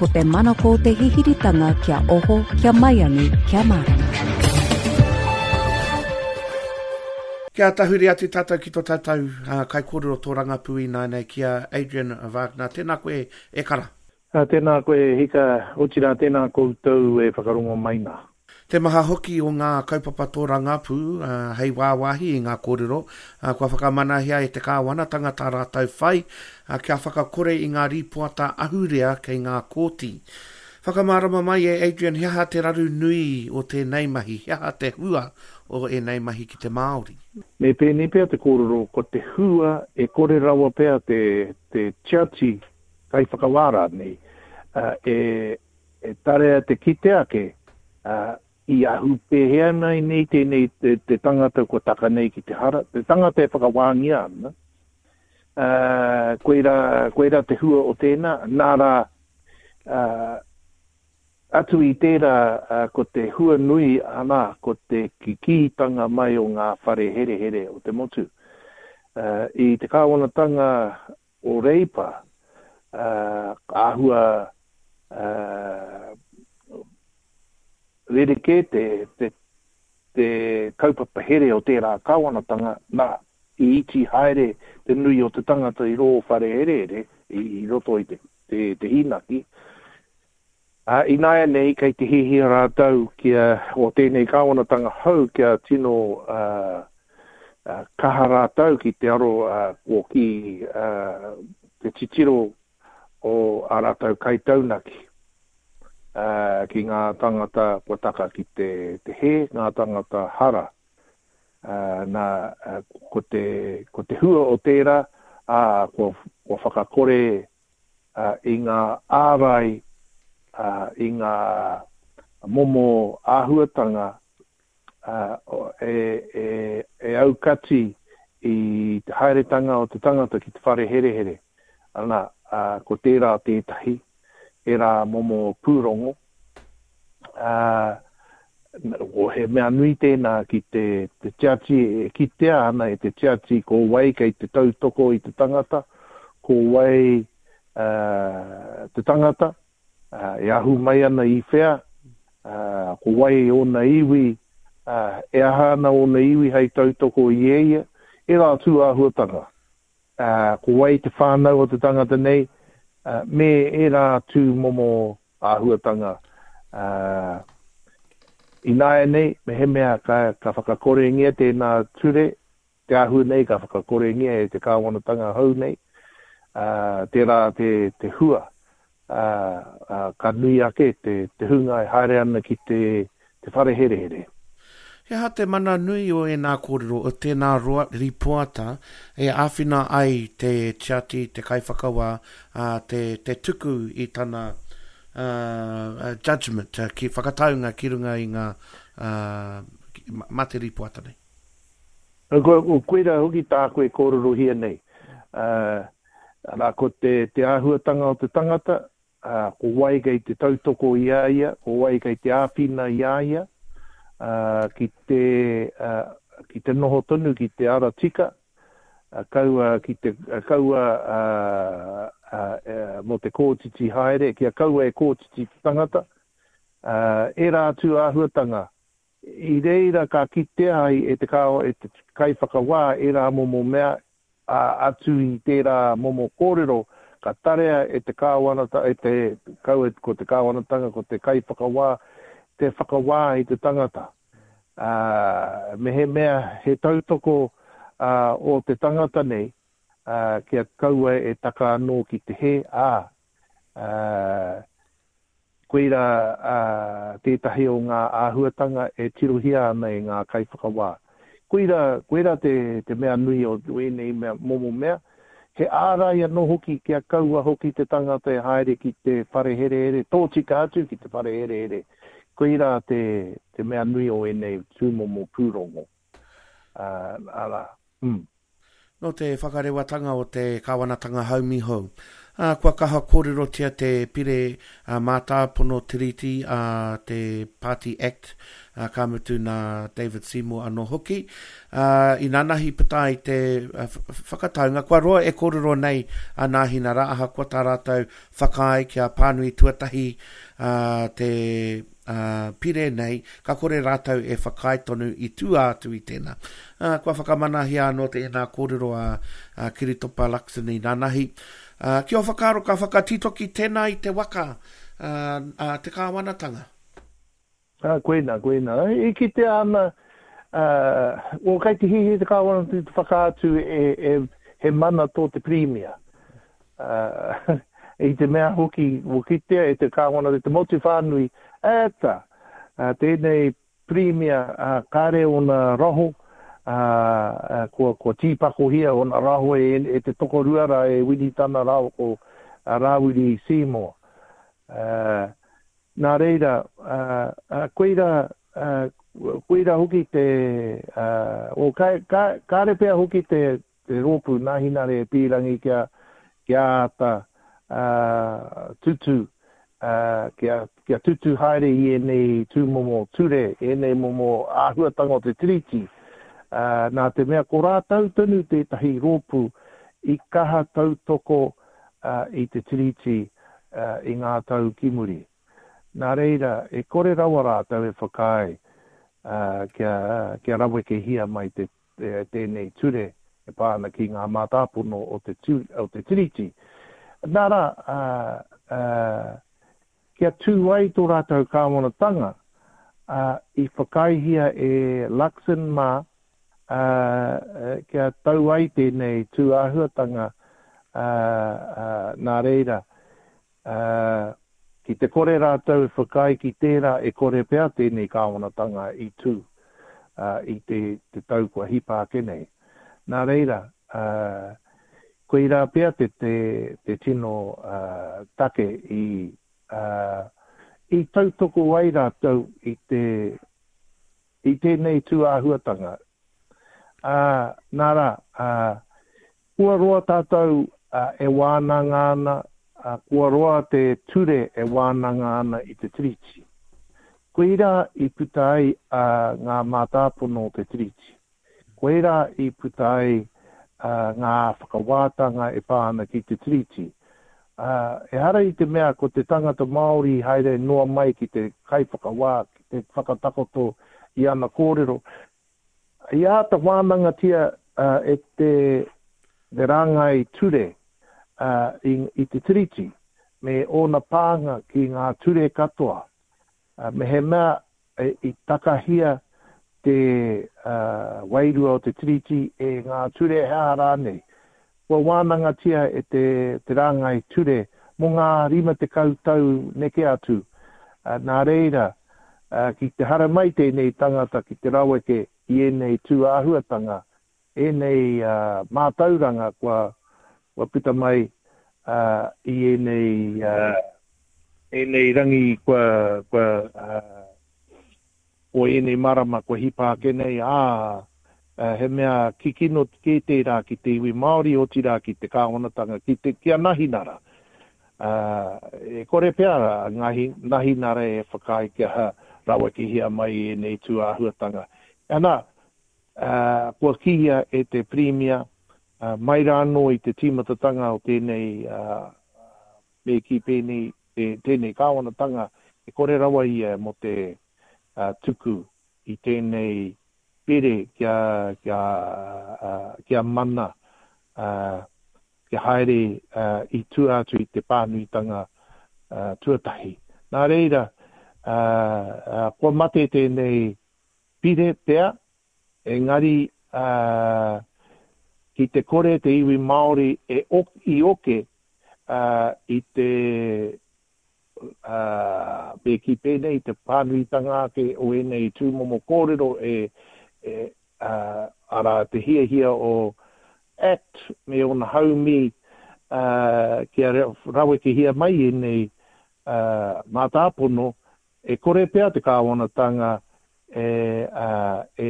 Ko te manako o te hihiritanga kia oho, kia maiangi, kia mārama. Kia tahuri atu tātou ki tō tātou uh, kaikōrero tōrangapū ināianei ki a Adrian Wagner. Tēnā koe e kara. Tēnā koe e hika, otirā tēnā koutou e whakarongo mai nā. Te maha hoki o ngā kaupapa tōrangapū hei wāwāhi i ngā kōrero kua whakamanahia e te kāwanatanga tā rātou whai kia whakakore i ngā rīpoata ahurea kei ngā kōti. Whakamārama mai e Adrian he aha te raru nui o tēnei mahi, he aha te hua o ēnei mahi ki te Māori? Me pēnei pea te kōrero, ko te hua e kore rawa pea te te tiati kaiwhakawā rānei e E tarea te kite ake, ā, i ahu pēhea nei nei tēnei te, te tangata kua taka nei ki te hara, te tangata e whakawāngia ana, ā, koirā, koirā te hua o tēnā, nā rā, ā, atu i tērā, ā, ko te hua nui, ana, ko te kikītanga mai o ngā whare herehere o te motu. Ā, i te kāwanatanga o Reipa, ā, ka āhua, ā, rerekē te, te, te kaupapa here o tērā kāwanatanga, nā, i iti haere te nui o te tangata i rō whare herehere, i, i roto i te, te, te hīnaki. Ā, ināianei kei te hiahia rātou kia, o tēnei kāwanatanga hou kia tino, ā, kaha rātou ki te aro, ā, o ki, ā, te titiro o ā rātou kaitaunaki, ā, ki ngā tāngata kua taka ki te, te hē, ngā tāngata hara. Ā, nā, ko te, ko te hua o tērā, ā, kua, kua whakakore i ngā ārai, i ngā momo āhuatanga e aukati i te haeretanga o te tangata ki te whare herehere. Ana, ko tērā tētahi, ērā momo pūrongo. He mea nui tēnā ki te tiati, e kitea ana e te tiati ko wai kei te tautoko i te tangata, ko wai te tangata, e ahu mai ana i whea, ko wai ōna iwi, e aha ana ōna iwi hei tautoko i e ia, ērā tū āhuatanga. Ko wai te whānau o te tangata nei, me ērā tū momo āhuatanga. Ināianei, mehemea ka, ka whakakorengia tēnā ture, te āhua nei ka whakakorengia e te kāwanatanga hou nei, ā, tērā te, te hua, ā, ā, ka nui ake te, te hunga e haere ana ki te, te whare herehere. He aha te mana nui o ēnā kōrero, o tēnā roa, rīpoata e āwhina ai te tiati, te kaiwhakawā, ā, te, te tuku i tana, ā, judgement, ki, whakataunga ki runga i ngā, ā, mā te rīpoata nei? Ko, koirā hoki tāku e kōrerohia nei. Ā, arā, ko te, te āhuatanga o te tangata, ā, ko wai kei te tautoko i a ia, ko wai kei te āwhina i a ia, ā, ki te, ā, ki te noho tonu ki te ara tika, ā, kaua ki te, kaua, ā, ā, mō te kōtiti haere, kia kaua e kōtiti te tangata, ā, ērā atu āhuatanga. I reira ka kitea ai e te kāo, e te kaiwhakawā ērā momo mea, ā, atu i tērā momo kōrero, ka tarea e te kāwanata, e te, kaua ko te kāwanatanga, ko te kaiwhakawā, te whakawā i te tangata. Ā, mehemea he tautoko, ā, ō te tangata nei, ā, kia kaua e taka anō ki te hē, ā, ā, Koirā tētahi o ngā āhuatanga e tirohia ana e ngā kaiwhakawā. Koirā, koirā te, te mea nui o ēnei mea, momo mea. He ārai anō hoki kia kaua hoki te tangata e haere ki te whare herehere, tōtika atu ki te whare herehere. Koirā te, te mea nui o ēnei tūmomo pūrongo. Arā, mm. Nō te whakarewatanga o te kāwanatanga haumi hou. Ā, kua kaha kōrerotia te pire mātāpono Tiriti a te Party Act, ā, ka mutu nā David Seymour anō hoki. Ā, inanahi puta ai te whakataunga, kua roa e kōrero nei a Nāhinara ahakoa tā rātou whakaae kia pānui tuatahi te ā, pire nei, ka kore rātou e whakaae tonu i tua atu i tēnā. Ā, kua whakamanahia anō tēnā kōrero a, a Kiritopa Luxon i nanahi. Ā, ki ō whakaaro ka whakatitoki tēnā i te waka ā, a te kāwanatanga? Ā, koinā, koinā. E kitea ana, ā, well, kei te hiahia te kāwanatanga te whakaatu e, e, he mana tō te Pirimia. Ā, i te mea hoki, kua kitea e te Kāwana te motu whānui, ēta, tēnei Pirimia, ā, kāre ōna raho, ā, kua, kua tīpakohia ōna raho e, e te tokorua rā, e Winitana rāua ko Rāwiri Seymour. Ā, nā reira, ā, ā, koirā, ā, koirā hoki te, ā, o, ka, ka, kāre pea hoki te, te rōpū Nāhinare e pīrangi kia, kia āta tutū, kia, kia tutū haere i ēnei tūmomo ture, ēnei momo āhuatanga o te Tiriti, nā te mea ko rātou tonu tētahi rōpū i kaha tautoko i te Tiriti i ngā tau ki muri. Nā reira, e kore rawa rātou e whakaae kia, kia rawekehia mai te tēnei ture e pā ana ki ngā mātāpono o te, o te Tiriti. Nā rā, kia tū ai tō rātou kāwanatanga, i whakaaehia e Luxon mā kia tau ai tēnei tū āhuatanga, nā reira, Ā, ki te kore rātou e whakaae ki tērā, e kore pea tēnei kāwanatanga i tū, ā, i te, te tau kua hipa ake nei. Nā reira, ā, koirā pea te, te, te tino, ā, take i, ā, i tautoko ai rātou i te, i tēnei tū āhuatanga. Ā, nā rā, ā, Kua roa tātou e wānanga ana, kua roa te ture e wānanga ana i te Tiriti. Koirā i puta ai ngā mātāpono o te Tiriti. Koirā i puta ai ngā whakawātanga e pā ana ki te Tiriti. Ehara i te mea ko te tangata Māori i haere noa mai ki te kaiwhakawā, ki te whakatakoto i ana kōrero. I āta wānangatia e te rāngai ture i te Tiriti me ōna pānga ki ngā ture katoa. Mehemea i takahia te wairua o te Tiriti e ngā ture he aha rānei, kua wānangatia e te rāngai ture mō ngā 50 tau neke atu. Nā reira, ki te haramai tēnei tangata ki te raweke i ēnei tū āhuatanga, ēnei mātauranga kua puta mai i ēnei, ēnei rangi kua, kua, o ēnei marama kua hipa ake nei, ā, he mea kikino kē tērā ki te iwi Māori, otirā ki te kāwanatanga, ki te, ki a Nahinara. Ā, e kore pea a Ngahi, Nahinara e whakaae kia rawekehia mai ēnei tū āhuatanga. Ana, ā, kua kīia e te Pirimia, ā, mai rā anō i te tīmatatanga o tēnei, ā, me kī pēnei, tēnei kāwanatanga, e kore rawa ia mō te tuku i tēnei pire kia, kia, kia mana, kia haere i tua atu i te pānuitanga tuatahi. Nā reira, kua mate tēnei pire pea, engari ki te kore te iwi Māori e i oke i te, me kī pēnei, te pānuitanga ake o ēnei tūmomo kōrero e, arā, te hiahia o act me ōna haumi kia rawekehia mai ēnei mātāpono, e kore pea te kāwanatanga e, e,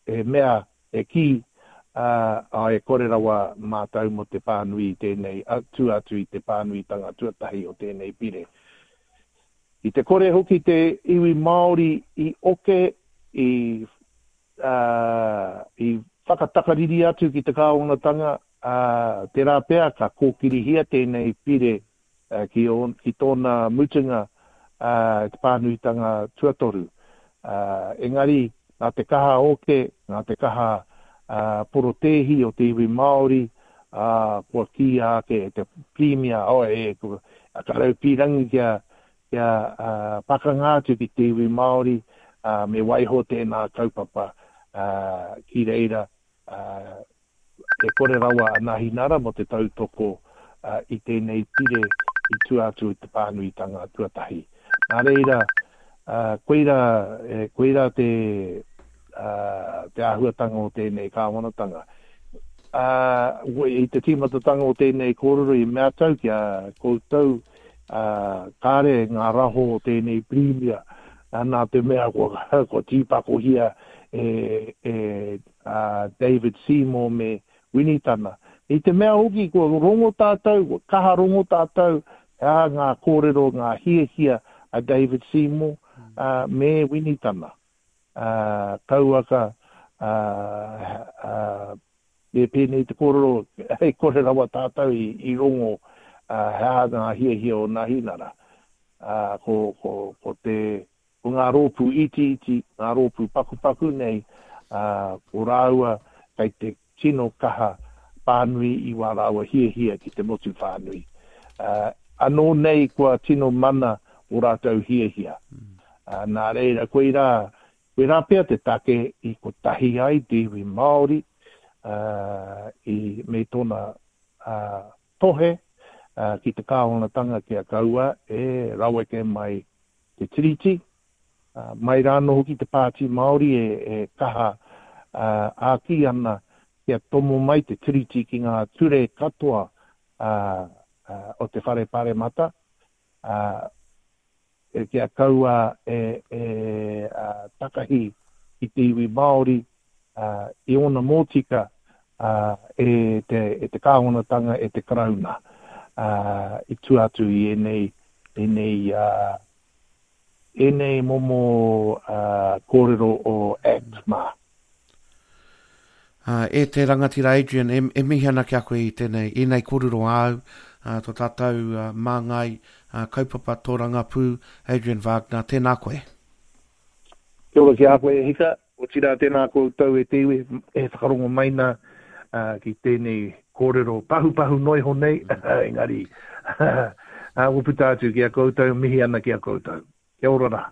e mea, e kī, Ā, e kore rawa mātou mō te pānui i tēnei, tua atu i te pānuitanga tuatahi o tēnei pire. I te kore hoki te iwi Māori i oke, i, ā, i whakatakariri atu ki te kāwanatanga, ā, tērā pea ka kōkirihia tēnei pire ki, ki tōna mutunga i te pānuitanga tuatoru. Engari, nā te kaha oke, nā te kaha porotēhi o te iwi Māori, ā, kua kīia ake e te Pirimia, oh, e, ka raupīrangi kia, kia pakanga atu ki te iwi Māori, ā, me waiho tēnā kaupapa ki reira, E kore rawa a Nahinara mō te tautoko i tēnei pire i tua atu i te pānuitanga tuatahi. Nā reira, koirā, koirā te, te āhuatanga o tēnei kāwanatanga. I te tīmatatanga o tēnei kōrero i mea tau ki a koutou, kāre ngā raho o tēnei pirimia, nā te mea kua, kua tīpakohia e, e a David Seymour me Winitana. I te mea hoki kua rongo tātou, kua kaha rongo tātou, he aha ngā kōrero, ngā hiahia a David Seymour me Winitana. Kauaka me pēnei te kōrero, hei kore rawa tātou i rongo he aha ngā hiahia o Nahinara. Ko te Ko ngā rōpū itiiti, ngā rōpū pakupaku nei, ā, ko rāua kei te tino kaha pānui i wā rāua hiahia ki te motu whānui. Ā, anō nei kua tino mana ō rātou hiahia. Ā, nā reira, koirā, koirā pea te take i kotahi ai te iwi Māori, ā, i, me tōna, ā, tohe, ā, ki te kāwanatanga kia kaua e raweke mai te Tiriti, mai rā anō hoki te Pāti Māori e kaha āki ana kia tomo mai te Tiriti ki ngā ture katoa o te Whare Paremata, kia kaua e takahi i te iwi Māori i ōna mōtika e te kāwanatanga, e te Karauna i tua atu i ēnei, ēnei, ēnei momo kōrero o Act mā. E te rangatira Adrian, e, e mihi ana ki a koe i tēnei, ēnei kōrero āu, tō tātou māngai kaupapa tōrangapū, Adrian Wagner, tēnā koe. Kia ora ki a koe e hika. Otirā tēnā koutou e te iwi e whakarongo mai nā ki tēnei kōrero pahupahu noa iho nei, engari kua puta atu ki a koutou, mihi ana ki a koutou. Kia ora rā.